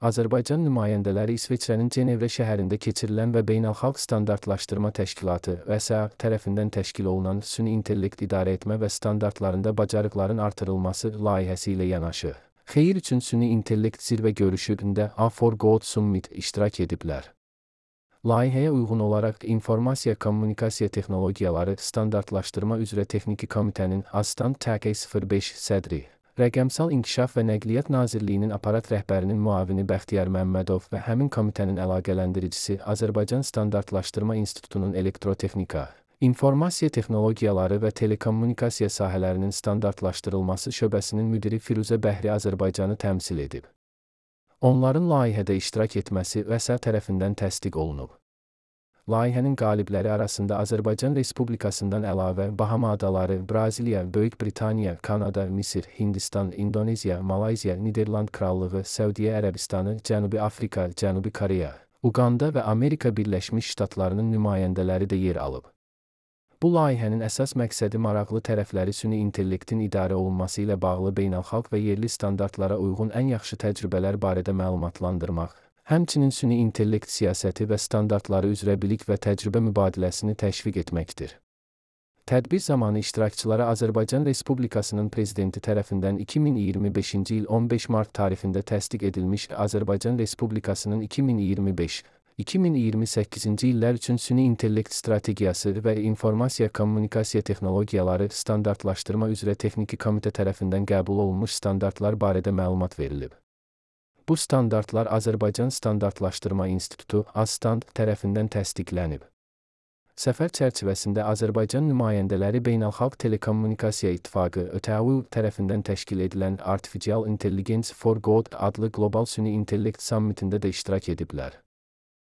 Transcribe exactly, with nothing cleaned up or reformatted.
Azərbaycan nümayəndələri İsveçrənin Cenevre şəhərində keçirilən və Beynəlxalq Standartlaşdırma Təşkilatı (V S A) tərəfindən təşkil olunan Süni İntellekt İdarə Etmə və Standartlarında Bacarıqların Artırılması layihəsi ilə yanaşı, Xeyir üçün Süni İntellekt Zirvə Görüşündə A for Good Summit iştirak ediblər. Layihəyə uyğun olaraq İnformasiya Kommunikasiya Texnologiyaları Standartlaşdırma üzrə Texniki Komitənin Astan T K sıfır beş sədri, Rəqəmsal İnkişaf və Nəqliyyat Nazirliyinin aparat rəhbərinin müavini Bəxtiyar Məmmədov və həmin komitənin əlaqələndiricisi Azərbaycan Standartlaşdırma İnstitutunun Elektrotexnika, İnformasiya Texnologiyaları və Telekommunikasiya sahələrinin standartlaşdırılması şöbəsinin müdiri Firuzə Bəhri Azərbaycanı təmsil edib. Onların layihədə iştirak etməsi V S A tərəfindən təsdiq olunub. Layihənin qalibləri arasında Azərbaycan Respublikasından əlavə Bahama Adaları, Braziliya, Böyük Britaniya, Kanada, Misir, Hindistan, İndoneziya, Malayziya, Niderland Krallığı, Səudiyyə Ərəbistanı, Cənubi Afrika, Cənubi Koreya, Uqanda və Amerika Birləşmiş Ştatlarının nümayəndələri də yer alıb. Bu layihənin əsas məqsədi maraqlı tərəfləri süni intellektin idarə olunması ilə bağlı beynəlxalq və yerli standartlara uyğun ən yaxşı təcrübələr barədə məlumatlandırmaq, həmçinin süni intellekt siyasəti və standartları üzrə bilik və təcrübə mübadiləsini təşviq etməkdir. Tədbir zamanı iştirakçılara Azərbaycan Respublikasının Prezidenti tərəfindən iki min iyirmi beşinci il on beş mart tarixində təsdiq edilmiş Azərbaycan Respublikasının iki min iyirmi beş iki min iyirmi səkkizinci illər üçün süni intellekt strategiyası və informasiya kommunikasiya texnologiyaları standartlaşdırma üzrə Texniki Komitə tərəfindən qəbul olunmuş standartlar barədə məlumat verilib. Bu standartlar Azərbaycan Standartlaşdırma İnstitutu (Astand) tərəfindən təsdiqlənib. Səfər çərçivəsində Azərbaycan nümayəndələri Beynəlxalq Telekommunikasiya İttifaqı (Ö T A U) tərəfindən təşkil edilən Artificial Intelligence for Good adlı qlobal süni intellekt sammitində də iştirak ediblər.